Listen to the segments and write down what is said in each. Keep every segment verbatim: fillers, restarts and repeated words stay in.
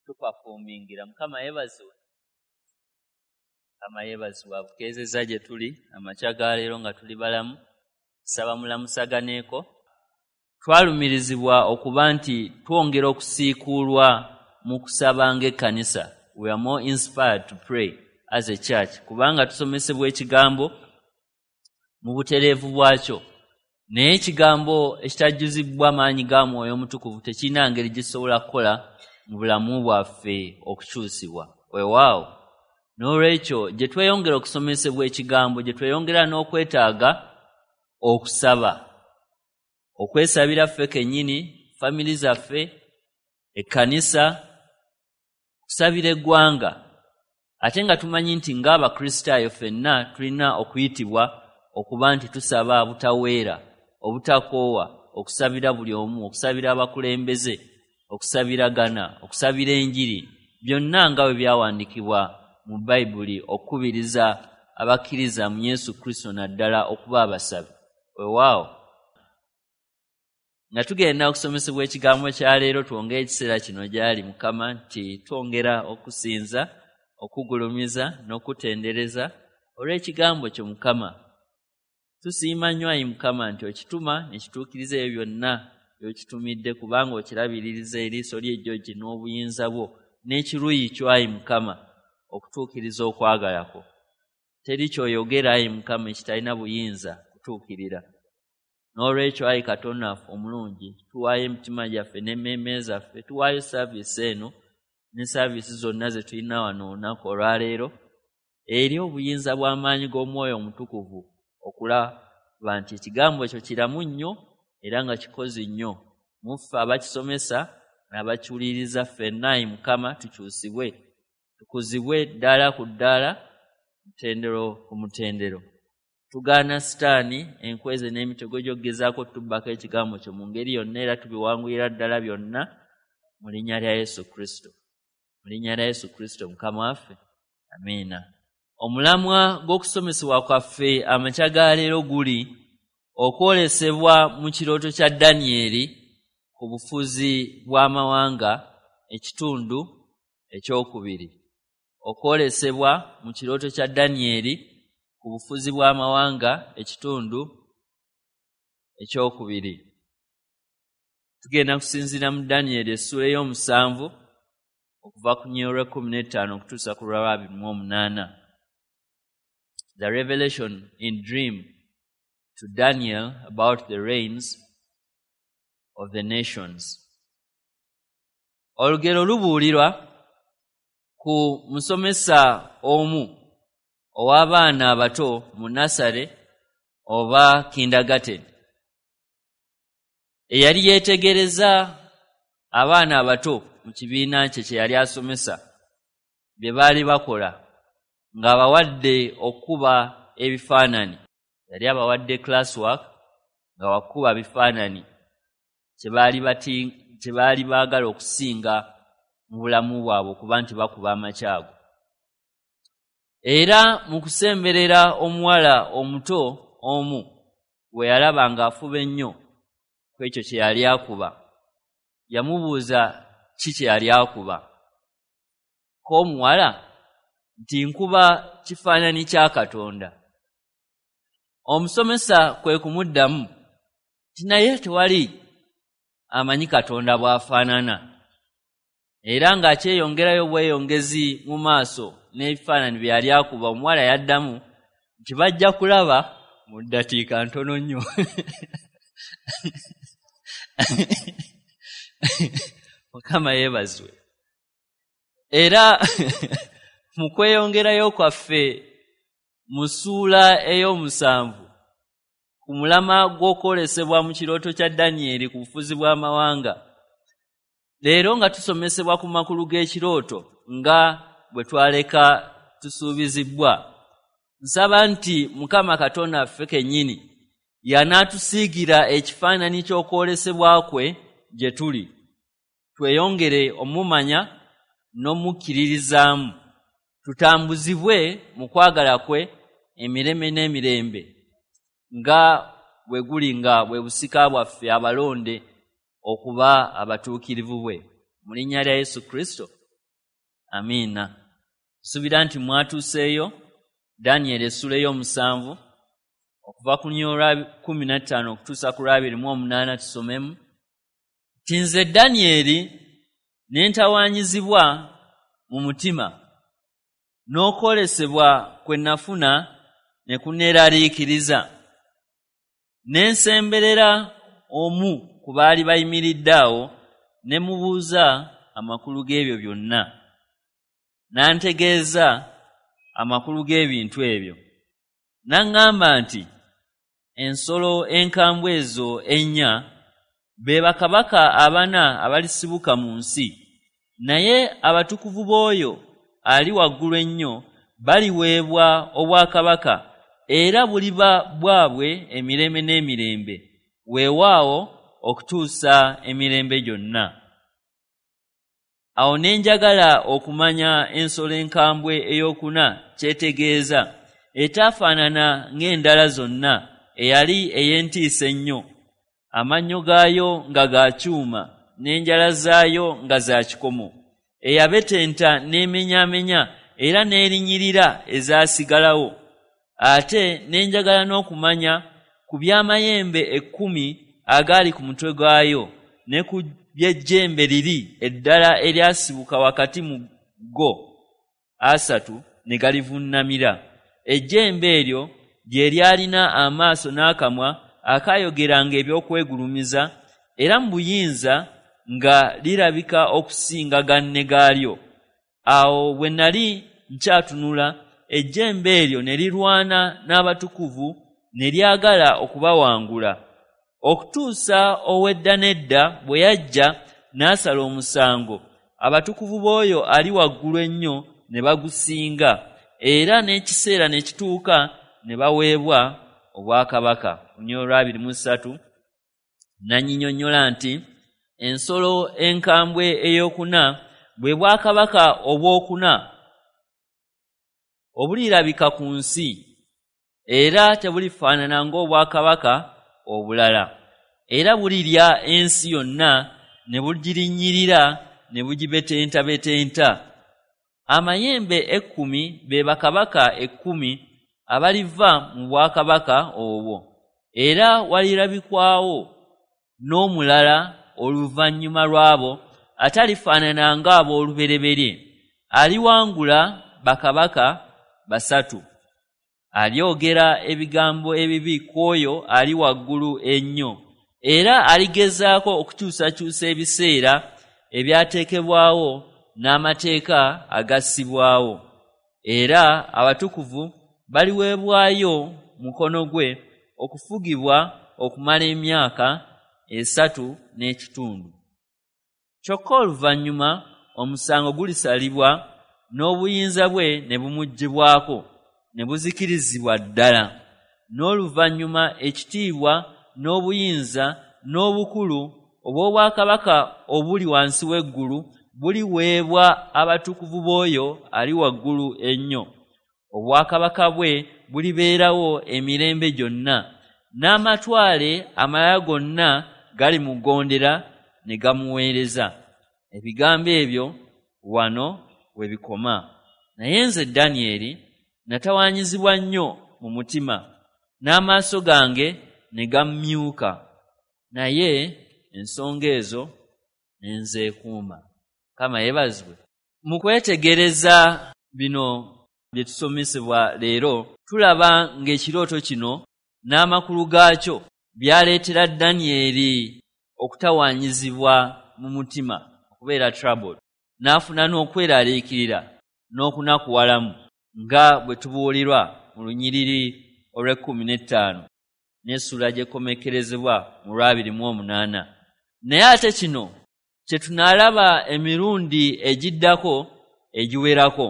Tupafoomingira. Mukama yeebazibwe. Mukama yeebazibwe abukeezezza gye tuli amakya ga leero nga tuli balamu. Nsaba mulamusaganeeko. Twalumirizibwa okuba nti twongera okusiikuulwa mu kusaba ng'ekkanisa. We are more inspired to pray as a church, kubanga tusomesebwa ekigambo mu butereevu bwakyo. Naye ekigambo ekitajjuzibwa maanyi ga Mwoyo Omutukuvu tekirina ngeri gisobola kukola mu bulamu bwaffe okukyusibwa. Weewaawo. N'olwekyo gye tweyongera okusomesebwa ekigambo, gye tweyongera n'okwetaaga okusaba, okwesabira ffe kennyini, famiri zaffe, ekkanisa, okusabira eggwanga. Ate nga tumanyi nti ng'Abakristaayo ffenna tulina okuyitibwa okuba nti tusaba butaweera, obutakoowa, okusabira buli omu, okusabira abakulembeze, okusabiragana, okusabira enjiri, byonna nga bwe byawandiikibwa mu Bayibuli okukubiriza abakkiriza mu Yesu Kristo naddala okuba abasabi. Weewaawo. Nga tugenda okusomesebwa ekigambo kya leero, twongere ekiseera kino gy'ali Mukama nti twongera okusinza, okugulumiza n'okutendereza olw'ekigambo kyo Mukama. Tusiima nnyo ayi Mukama nti okituma ne kituukiriza ebyo byonna by'okitumidde, kubanga okirabiririza eriiso ly'ejjogi n'obuyinza bwo n'ekiruyi kyo ayi Mukama okutuukiriza okwagala kwo. Teri ky'oyogera ayi Mukama ekitalina buyinza kutuukirira. N'olwekyo ayi Katonda waffe omulungi, tuwaayo emitima gyaffe n'emmeeme zaffe, tuwaayo saaviisi eno ne saaviisi zonna ze tulina wano olunaku olwaleero eri obuyinza bw'amaanyi g'Omwoyo Omutukuvu okulaba nti ekigambo ekyo kiramu nnyo era nga kikozi nnyo mu ffe abakisomesa n'abakiwuliriza ffenna ayi Mukama tukyusibwe, tukuzibwe ddaala ku ddaala, mutendero ku mutendero. Tugaana Sitaani enkweze n'emitego gy'okugezaako otubbako ekigambo kyo mu ngeri yonna, era tubiwangulira ddala byonna mu linnya lya Yesu Kristo. Mu linnya lya Yesu Kristo Mukama waffe, amiina. Omulamwa gw'okusomesebwa kwaffe amakya ga leero guli okwolesebwa mu kirooto kya Danyeri ku bufuzi bw'amawanga, ekitundu ekyokubiri. Okwolesebwa mu kirooto kya Danyeri ku bufuzi bw'amawanga, ekitundu ekyokubiri. Tugenda kusinziira mu Danyeri essuula ey'omusanvu okuva ku nnyiriri lw'ekkumi n'ettaano okutuusa ku lwa abiri mu omunaana. The revelation in dream to Daniel about the reigns of the nations. Olugero lubuulirwa ku musomesa omu ow'abaana abato mu nasale oba kindergarten, eyali yeetegereza abaana abato mu kibiina kye kye yali asomesa bye baali bakola, ng'abawadde okukuba ebifaananyi. Yali abawadde classwork nga wakuba bifaananyi kye baali bati kye baali baagala okusinga mu bulamu bwabwe okuba nti bakuba amakyago. Era mu kusemberera omuwala omuto omu bwe yalaba ng'afuba ennyo ku ekyo kye yali akuba, yamubuuza ki kye yali akuba. Ko omuwala nti nkuba kifaananyi kya Katonda. Omusomesa kwe kumuddamu nti naye tewali amanyi Katonda bw'afaanana. Era ng'akyeyongerayo bweyongezi mu maaso n'ebifaananyi bye yali akuba, omuwala yaddamu nti bajja kulaba mu ddakiika ntono nnyo. Mukama yeebazibwe. Era mu kweyongerayo kwaffe mu ssuula ey'omusanvu ku mulama gw'okwolesebwa mu kirooto kya Danyeri ku bufuzi bw'amawanga, leero nga tusomesebwa ku makulu g'ekirooto nga bwe twaleka tusuubizibbwa, nsaba nti Mukama Katonda waffe kennyini y'anaatusiigira ekifaananyi ky'okwolesebwa kwe gye tuli, tweyongere omumanya n'omukkiririzaamu, tutambuzibwe mu kwagala kwe emirembe n'emirembe nga bwe guli nga bwe busika bwaffe abalonde okuba abatuukirivu bwe. Mu linnya lya Yesu Kristo, Amiina. Nsuubira nti mwatuuseeyo Danyeri essula ey'omusanvu okuva ku lunyiriri lwa kkumi na ttaano okutuusa ku lwa abiri mu omunaana tusomemu. Nti nze Danyeri ne ntawaanyizibwa mu mutima, n'okwolesebwa kwe nafuna ne kunneeraliikiriza. Ne nsemberera omu ku baali bayimiridde awo ne mubuuza amakulu g'ebyo byonna. N'antegeeza amakulu g'ebintu ebyo. N'aŋŋamba nti ensolo enkambwe ezo ennya be bakabaka abana abalisibuka mu nsi, naye abatukuvu b'oyo ali waggulu ennyo baliweebwa obwakabaka, era buliba bwabwe emirembe n'emirembe, weewaawo okutuusa emirembe gyonna. Awo ne njagala okumanya ensolo enkambwe ey'okuna kyetegeeza, etaafaanana ng'endala zonna, eyali ey'entiisa ennyo, amannyo gaayo nga ga kyuma n'enjala zaayo nga za kikomo, eyabetenta n'emenyaamenya era n'erinnyirira ezaasigalawo. Ate ne njagala n'okumanya ku by'amayembe ekkumi agaali ku mutwe gwayo ne ku by'ejjembe liri eddala eryasibuka wakati mu go asatu ne galivunnamira. Ejjembe eryo lye lyalina amaaso n'akamwa akaayogeranga eby'okwegulumiza, era mu buyinza nga lirabika okusinga ganne gaalyo. Awo bwe nali nkyatunula, ejjembe eryo ne lirwana n'abatukuvu ne lyagala okubawangula, okutuusa ow'edda n'edda bwe yajja n'asala omusango, abatukuvu b'oyo ali waggulu ennyo ne bagusinga, era n'ekiseera ne kituuka ne baweebwa obwakabaka. Lunyiriri lwa abiri mu ssatu n'annyinyonnyola nti ensolo enkambwe ey'okuna bwe bwakabaka obwokuna obulirabika ku nsi, era tebulifaanana ng'obwakabaka obulala, era bulirya ensi yonna ne bugirinnyirira ne bugibetentabetenta. Amayembe ekkumi be bakabaka ekkumi abaliva mu bwakabaka obwo, era walirabikwawo n'omulala oluvannyuma lw'abo atalifaanana ng'ab'olubereberye, aliwangula bakabaka basatu. Alyogera ebigambo ebibi ku oyo ali waggulu ennyo, era aligezaako okukyusakyusa ebiseera ebyateekebwawo n'amateeka agassibwawo. Era abatukuvu baliweebwayo mukono gwe okufugibwa okumala emyaka esatu n'ekitundu. Kyokka oluvannyuma omusango gulisalibwa n'obuyinza bwe ne bumuggyibwako ne buzikirizibwa ddala. N'oluvannyuma ekitiibwa n'obuyinza n'obukulu obw'obwakabaka obuli wansi w'eggulu buliweebwa abatukuvu b'oyo ali waggulu ennyo. Obwakabaka bwe bulibeerawo emirembe gyonna, n'amatwale amalala gonna galimugondera ne gamuweereza. Ebigambo ebyo wano we bikoma. Naye nze Danyeri natawaanyizibwa nnyo mu mutima, n'amaaso gange ne gammyuka, naye ensonga ezo ne nzeekuuma. Mukama yeebazibwe. Mu kwetegereza bino bye tusomesebwa leero, tulaba ng'ekirooto kino n'amakulu gaakyo byaleetera Danyeri okutawaanyizibwa mu mutima, okubeera troubled, n'afuna n'okweraliikirira n'okunakuwalamu, nga bwe tubuulirwa mu lunyiriri olw'ekkumi n'ettaano n'essula gy'ekomekkerezebwa mu lw'abiri mu omunaana. Naye ate kino kye tunaalaba emirundi egiddako egiwerako,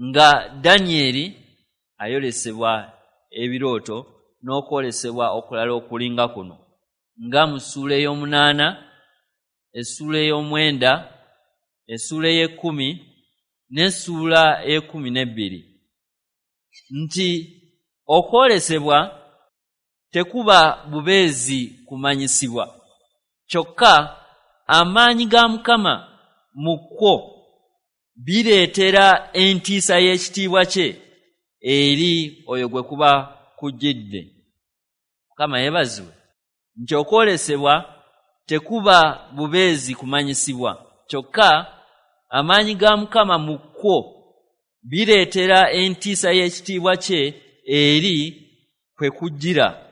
nga Danyeri ayolesebwa ebirooto n'okwolesebwa okulala okulinga kuno, nga mu ssuula ey'omunaana, essuula ey'omwenda, essuula ey'ekkumi n'essuula ey'ekkumi n'ebbiri, nti okwolesebwa tekuba bubeezi kumanyisibwa, kyokka amaanyi ga Mukama mu kwo bireetera entiisa y'ekitiibwa kye eri oyo gwe kuba kujjidde. Mukama yeebazibwe nti okwolesebwa tekuba bubeezi kumanyisibwa, kyokka amaanyi ga Mukama mu kwo bireetera entiisa y'ekitiibwa kye eri kwe kujjira,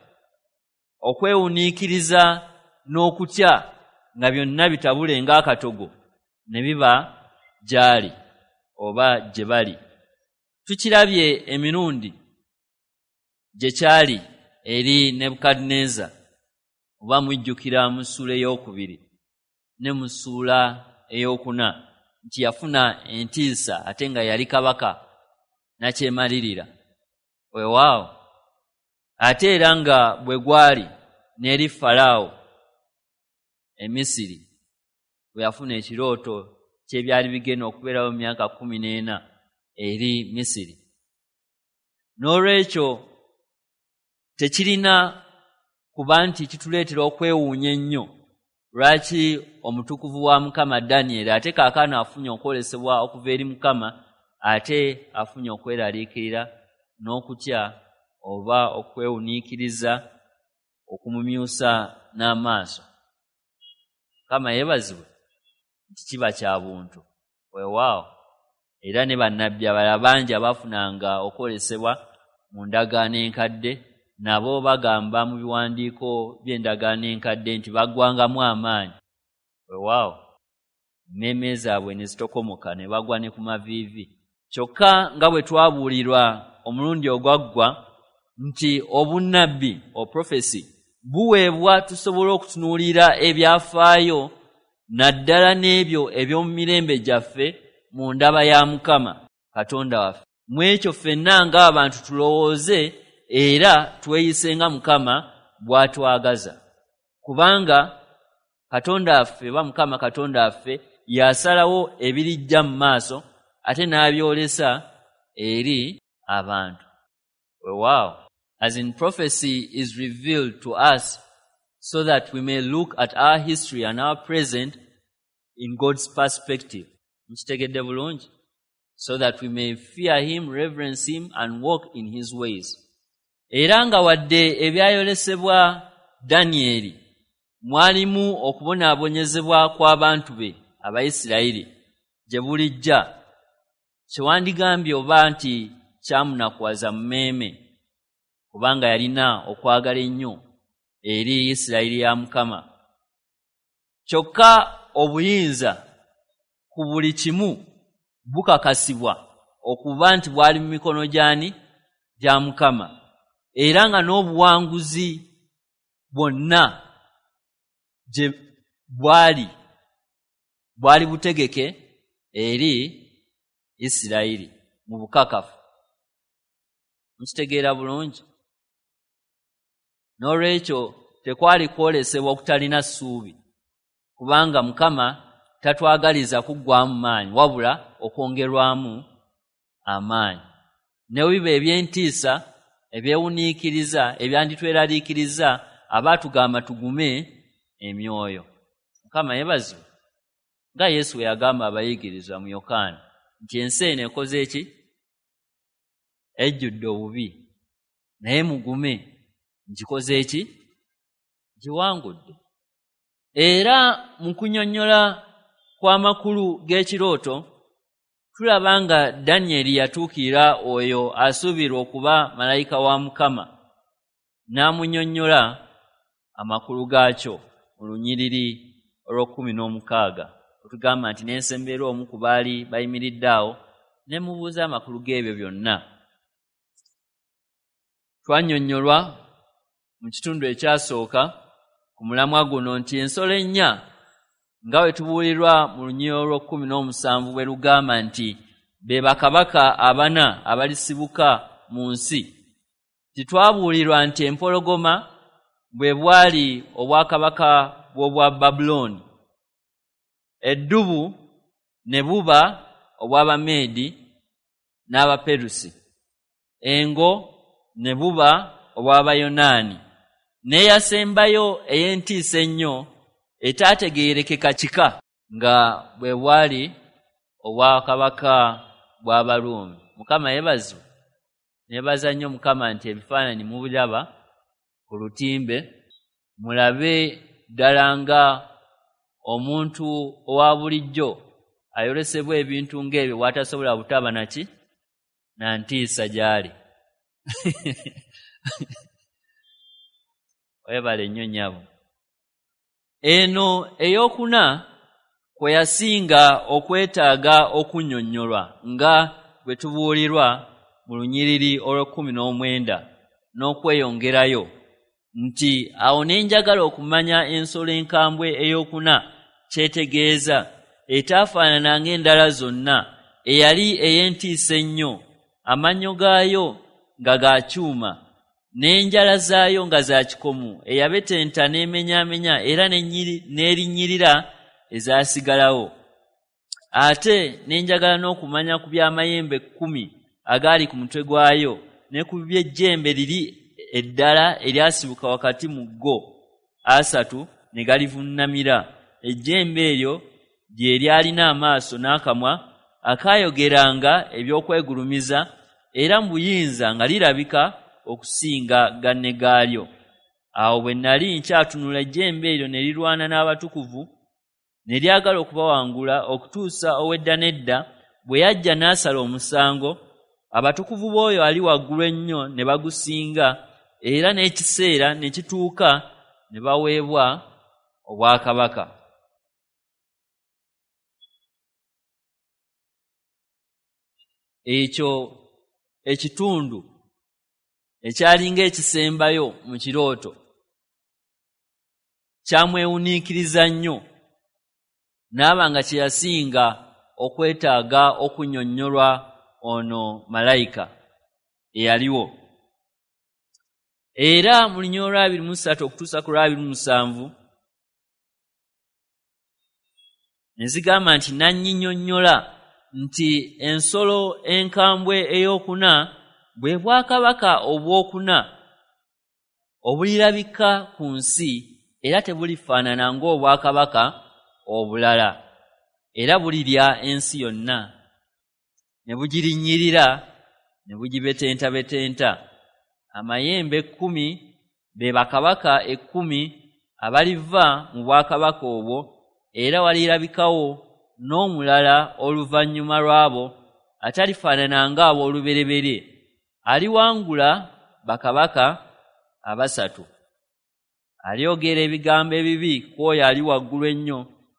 okwewuniikiriza n'okutya nga byonna bitabule ng'akatogo ne biba gy'ali oba gye bali. Tukirabye emirundi gye kyali eri Nebukadduneeza, oba mujjukira mu ssuula ey'okubiri ne mu ssuula ey'okuna nti yafuna entiisa ate nga yali kabaka nakyemalirira. Weewaawo ate era nga bwe gwali n'eri Falaawo e Misiri bwe yafuna ekirooto ky'ebyali bigenda okubeerawo mu myaka kkumi n'ena eri Misiri. N'olwekyo tekirina kuba nti kituleetera okwewuunya ennyo lwaki omutukuvu wa Mukama Danyeri ate kaakano afunye okwolesebwa okuva eri Mukama, ate afunye okweraliikirira n'okutya oba okwewuniikiriza okumumyusa n'amaaso. Mukama yeebazibwe nti kiba kya buntu. Weewaawo era ne bannabbi abalala bangi abaafunanga okwolesebwa mu ndagaano enkadde nabo bagamba mu biwandiiko by'endagaano enkadde nti baggwangamu amaanyi. Weewaawo emmeeme zaabwe ne zitokomoka ne bagwa ne ku maviivi. Kyokka nga bwe twabuulirwa omulundi ogwaggwa nti obunnabbi oprofesi buweebwa tusobole okutunuulira ebyafaayo naddala n'ebyo eby'omu mirembe gyaffe mu ndaba ya Mukama Katonda waffe. Mu ekyo ffenna ng'abantu tulowooze era tweyise nga Mukama bw'atwagaza, kubanga Katonda waffe oba Mukama Katonda waffe y'asalawo ebirijja mu maaso ate n'abyolesa eri abantu. Weewaawo, as in prophecy is revealed to us so that we may look at our history and our present in God's perspective. Mukitegedde bulungi? So that we may fear him, reverence him and walk in his ways. Era nga wadde ebyayolesebwa Danyeri mwalimu okubonaabonyezebwa kw'abantu be Abayisirayiri gye bulijja, kyewandigambye oba nti kyamunakuwaza mu mmeeme, kubanga yalina okwagala ennyo eri Isirayiri ya Mukama. Kyokka obuyinza ku buli kimu bukakasibwa okuba nti bwali mu mikono gy'ani? Gya Mukama. Era nga n'obuwanguzi bwonna gye bwali bwali butegeke eri Isirayiri mu bukakafu. Mukitegeera bulungi? N'olwekyo tekwali kwolesebwa okutalina ssuubi, kubanga Mukama tatwagaliza kuggwaamu maanyi wabula okwongerwamu amaanyi. Ne biba eby'entiisa, ebyewuniikiriza, ebyanditweraliikiriza, aba atugamba tugume emyoyo. Mukama yeebazibwe nga Yesu bwe yagamba abayigirizwa mu Yokaana nti ensi eno ekoze ki? Ejjudde obubi, naye mugume, ngikoze ki? Giwangudde. Era mu kunnyonnyola kw'amakulu g'ekirooto tulaba nga Danyeri yatuukirira oyo asuubirwa okuba malayika wa Mukama n'amunnyonnyola amakulu gaakyo mu lunyiriri olw'ekkumi n'omukaaga. Otugamba nti n'ensemberera omu ku baali bayimiridde awo ne mubuuza amakulu g'ebyo byonna. Twannyonnyolwa mu kitundu ekyasooka ku mulamwa guno nti ensolo ennya nga bwe tubuulirwa mu lunyiriri olw'ekkumi n'omusanvu bwe lugamba nti be bakabaka abana abalisibuka mu nsi. Titwabuulirwa nti empologoma bwe bwali obwakabaka bw'obwa Babulooni, eddubu ne buba obw'Abameedi n'Abaperusi, engo ne buba obw'Abayonaani, n'eyasembayo ey'entiisa ennyo etaategeerekeka kika nga bwe bwali obwakabaka bw'Abaruumi. Mukama yeebazibwe. Neebaza nnyo Mukama nti ebifaananyi mubiraba ku lutimbe, mulabe ddala nga omuntu owa bulijjo ayolesebwa ebintu ng'ebyo bw'atasobola butaba naki na ntiisa gy'ali. Webale nnyo nnyabo. Eno ey'okuna kwe yasinga okwetaaga okunnyonnyolwa nga bwe tubuulirwa mu lunyiriri olw'ekkumi n'omwenda n'okweyongerayo nti awo ne njagala okumanya ensolo enkambwe ey'okuna kyetegeeza, etaafaanana ng'endala zonna, eyali ey'entiisa ennyo, amannyo gaayo nga ga kyuma, n'enjala zaayo nga za kikomo, eyabetenta n'emenyaamenya era n'erinnyirira ezaasigalawo. Ate ne njagala n'okumanya ku by'amayembe kkumi agaali ku mutwe gwayo, ne ku by'ejjembe liri eddala eryasibuka wakati mu go asatu ne galivunnamira. Ejjembe eryo lye lyalina amaaso n'akamwa akaayogeranga eby'okwegulumiza, era mu buyinza nga lirabika okusinga ganne gaalyo. Awo bwe nali nkyatunula, ejjembe eryo ne lirwana n'abatukuvu, ne lyagala okubawangula okutuusa ow'edda n'edda bwe yajja n'asala omusango. Abatukuvu b'oyo ali waggulu ennyo ne bagusinga, era n'ekiseera ne kituuka ne baweebwa obwakabaka. Ekyo ekitundu ekyalinga ekisembayo mu kirooto kyamwewuniikiriza nnyo, n'aba nga kye yasinga okwetaaga okunnyonnyolwa ono malayika eyaliwo. Era mu lunyiriri olw'abiri mu ssatu okutuusa ku lw'abiri mu musanvu ne zigamba nti n'annyinyonnyola nti ensolo enkambwe ey'okuna bwe bwakabaka obwokuna obulirabika ku nsi, era tebulifaanana ng'obwakabaka obulala, era bulirya ensi yonna ne bugirinnyirira ne bugibetentabetenta. Amayembe ekkumi be bakabaka ekkumi abaliva mu bwakabaka obwo, era walirabikawo n'omulala oluvannyuma lw'abo atalifaanana ng'ab'olubereberye, aliwangula bakabaka abasatu. Alyogera ebigambo ebibi ku oyo ali waggulu ennyo,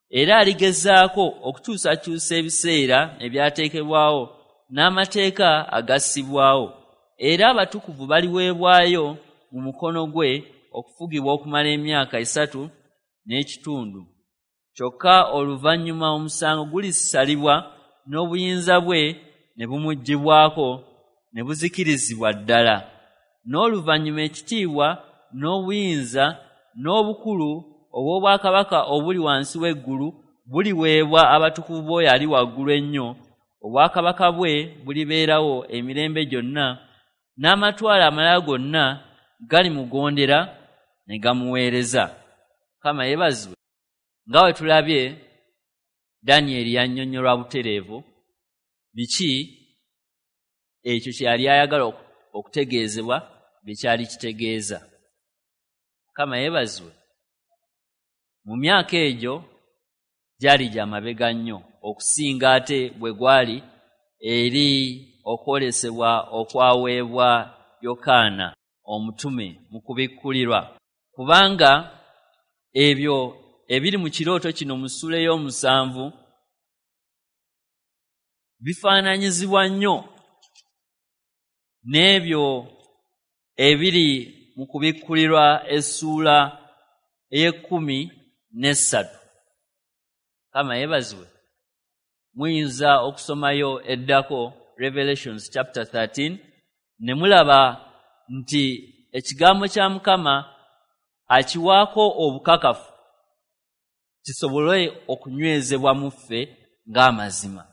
era aligezaako okukyusakyusa ebiseera ebyateekebwawo n'amateeka agassibwawo, era abatukuvu baliweebwayo mu mukono gwe okufugibwa okumala emyaka esatu n'ekitundu. Kyokka oluvannyuma omusango gulisalibwa n'obuyinza bwe ne bumuggyibwako ne buzikirizibwa ddala. N'oluvannyuma ekitiibwa n'obuyinza n'obukulu obw'obwakabaka obuli wansi w'eggulu buliweebwa abatukuvu b'oyo ali waggulu ennyo. Obwakabaka bwe bulibeerawo emirembe gyonna, n'amatwale amalala gonna galimugondera ne gamuweereza. Mukama yeebazibwe. Nga bwe tulabye, Danyeri yannyonnyolwa butereevu biki ekyo kye yali ayagala okutegeezebwa bye kyali kitegeeza. Mukama yeebazibwe. Mu myaka egyo gyali gya mabega nnyo okusinga ate bwe gwali eri okwolesebwa okwaweebwa Yokaana omutume mu kubikkulirwa, kubanga ebyo ebiri mu kirooto kino mu ssuula ey'omusanvu bifaananyizibwa nnyo n'ebyo ebiri mu kubikkulirwa essuula ey'ekkumi n'essatu. Mukama yeebazibwe. Muyinza okusomayo eddako Revelations chapter thirteen ne mulaba nti ekigambo kya Mukama akiwaako obukakafu kisobole okunywezebwa mu ffe ng'amazima.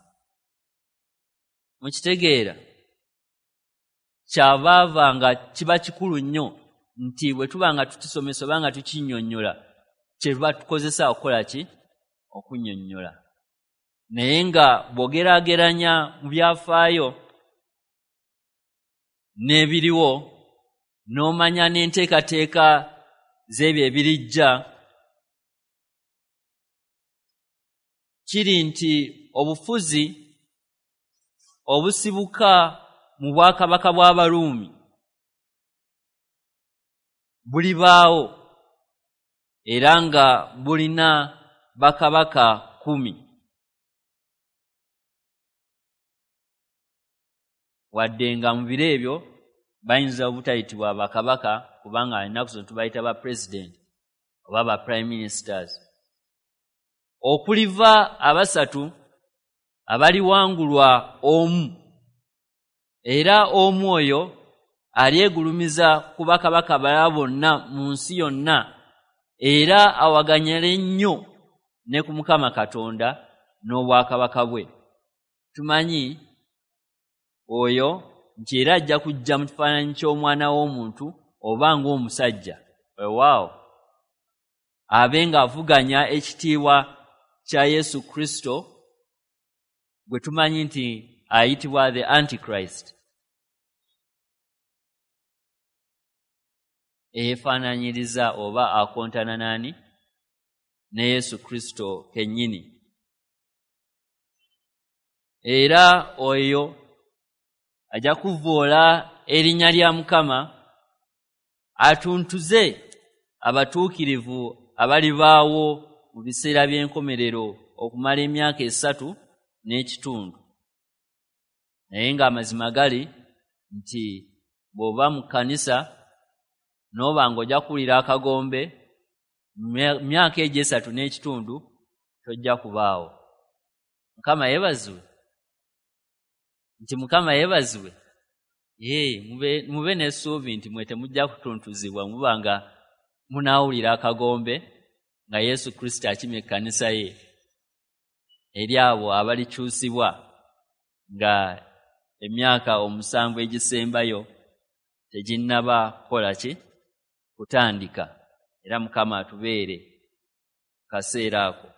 Mukitegeera? Kyabaava nga kiba kikulu nnyo nti bwe tuba nga tukisomesa oba nga tukinnyonnyola, kye tuba tukozesa okukola ki? Okunnyonnyola. Naye nga bw'ogeraageranya mu byafaayo n'ebiriwo, n'omanya n'enteekateeka z'ebyo ebirijja, kiri nti obufuzi obusibuka mu bwakabaka bw'Abaruumi bulibaawo era nga bulina bakabaka kkumi. Wadde nga mu biro ebyo bayinza obutayitibwa bakabaka, kubanga ennaku zino tubayita ba president oba ba prime ministers. Okuliva abasatu abaliwangulwa omu, era omu oyo alyegulumiza ku bakabaka balala bonna mu nsi yonna, era awaganyale nnyo ne ku Mukama Katonda n'obwakabaka bwe. Tumanyi oyo nti era ajja kujja mu kifaananyi ky'omwana w'omuntu oba ng'omusajja, weewaawo abe ng'avuganya ekitiibwa kya Yesu Kristo gwe tumanyi nti ayitibwa the Antichrist, eyeefaanaanyiriza oba akontana n'ani? Ne Yesu Kristo kennyini. Era oyo ajja kuvvoola erinnya lya Mukama, atuntuze abatuukirivu abalibaawo mu biseera by'enkomerero okumala emyaka esatu n'ekitundu. Naye ng'amazima gali nti bw'oba mu kkanisa n'oba ng'ojja kuwulira akagombe myaka egyo esatu n'ekitundu tojja kubaawo. Mukama yeebazibwe. Nti Mukama yeebazibwe. Ye, mube, mube n'essuubi nti mwe temujja kutuntuzibwa, muba nga munaawulira akagombe nga Yesu Kristo akima ekkanisa ye eri abo abalikyusibwa nga emyaka omusanvu egisembayo teginnaba kukola ki? Kutandika. Era Mukama atubeere kaseera ako.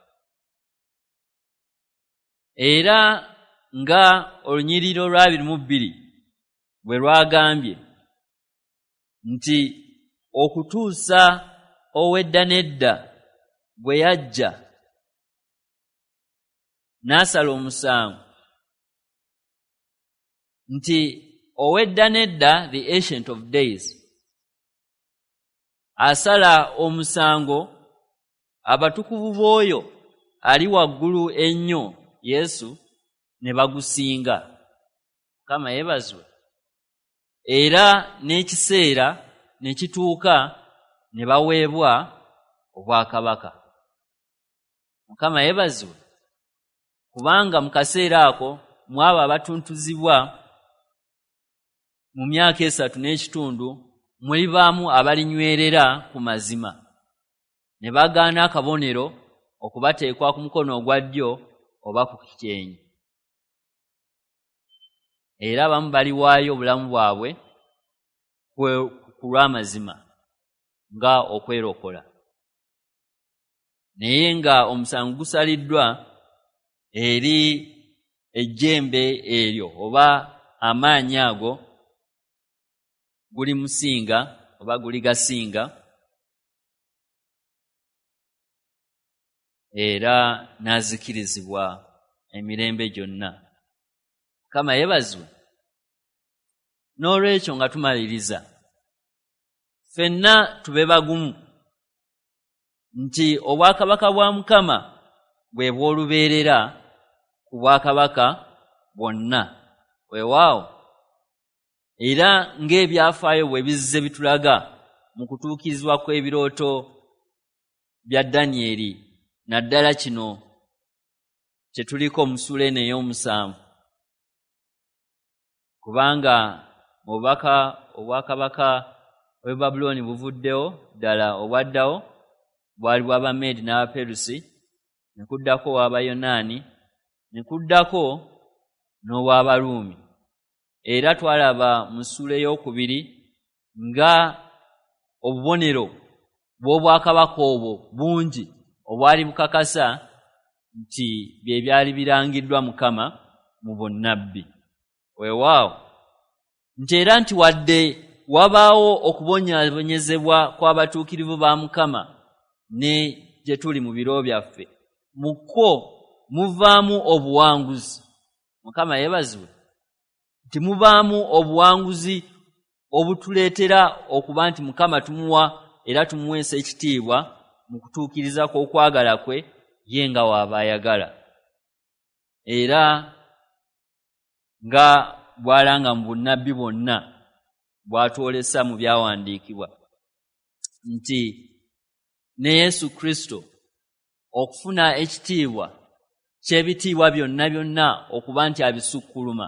Era nga olunyiriri olw'abiri mu bbiri bwe lwagambye nti okutuusa ow'edda n'edda bwe yajja n'asala omusango, nti ow'edda n'edda, the ancient of days, asala omusango abatukuvu b'oyo ali waggulu ennyo Yesu ne bagusinga. Mukama yeebazibwe. Era n'ekiseera ne kituuka ne baweebwa obwakabaka. Mukama yeebazibwe, kubanga mu kaseera ako mu abo abatuntuzibwa mu myaka esatu n'ekitundu mulibaamu abalinywerera ku mazima ne bagaana akabonero okubateekwa ku mukono ogwa ddyo oba ku kyenyi. Era abamu baliwaayo obulamu bwabwe ku lw'amazima nga okwerokola. Naye nga omusango gusaliddwa eri ejjembe eryo oba amaanyi ago gulimusinga oba guligasinga, era n'azikirizibwa emirembe gyonna. Mukama yeebazibwe. N'olwekyo nga tumaliriza, ffenna tube bagumu nti obwakabaka bwa Mukama bwe bw'olubeerera ku bwakabaka bwonna. Weewaawo, era ng'ebyafaayo bwe bizze bitulaga mu kutuukirizibwa kw'ebirooto bya Danyeri, naddala kino kye tuliko mu ssuula eno ey'omusanvu, kubanga mu bubaka obwakabaka bw'e Babulooni buvuddewo ddala, obwaddawo bwali bw'Abameedi n'Abaperusi, ne kuddako ow'Abayonaani, ne kuddako n'ow'Abaruumi. Era twalaba mu ssuula ey'okubiri nga obubonero bw'obwakabaka obwo bungi obwali bukakasa nti bye byali birangiddwa Mukama mu bunnabbi. Weewaawo nti era nti wadde wabaawo okubonyaabonyezebwa kw'abatuukirivu ba Mukama ne gye tuli mu biro byaffe, mu kwo muvaamu obuwanguzi. Mukama yeebazibwe nti mubaamu obuwanguzi obutuleetera okuba nti Mukama tumuwa era tumuweesa ekitiibwa mu kutuukiriza kw'okwagala kwe ye nga w'aba ayagala, era nga bw'alanga mu bunnabbi bwonna bw'atwolesa mu byawandiikibwa nti ne Yesu Kristo okufuna ekitiibwa ky'ebitiibwa byonna byonna okuba nti abisukkuluma,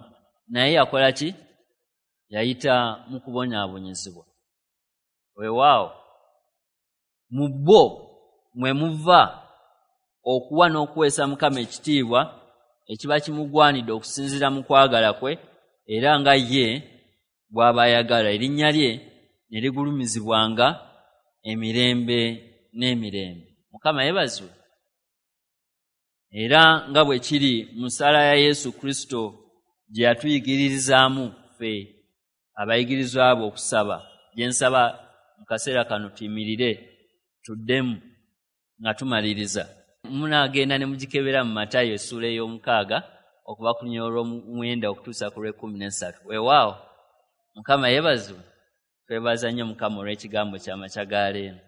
naye yakola ki? Yayita mu kubonyaabonyezebwa. Weewaawo mu bo mwe muva okuwa n'okuweesa Mukama ekitiibwa ekiba kimugwanidde okusinziira mu kwagala kwe, era nga ye bw'aba ayagala, erinnya lye ne ligulumizibwanga emirembe n'emirembe. Mukama yeebazibwe. Era nga bwe kiri mu ssaala ya Yesu Kristo gye yatuyigiririzaamu ffe abayigirizwa be okusaba, gye nsaba mu kaseera kano tuyimirire tuddemu nga tumaliriza. Munaagenda ne mugikebera mu Matayo essuula ey'omukaaga okuva ku lunyiriri olw'omwenda okutuusa ku lw'ekkumi n'essatu. Weewaawo Mukama yeebazibwe. Twebaza nnyo Mukama olw'ekigambo ky'amakya ga leero.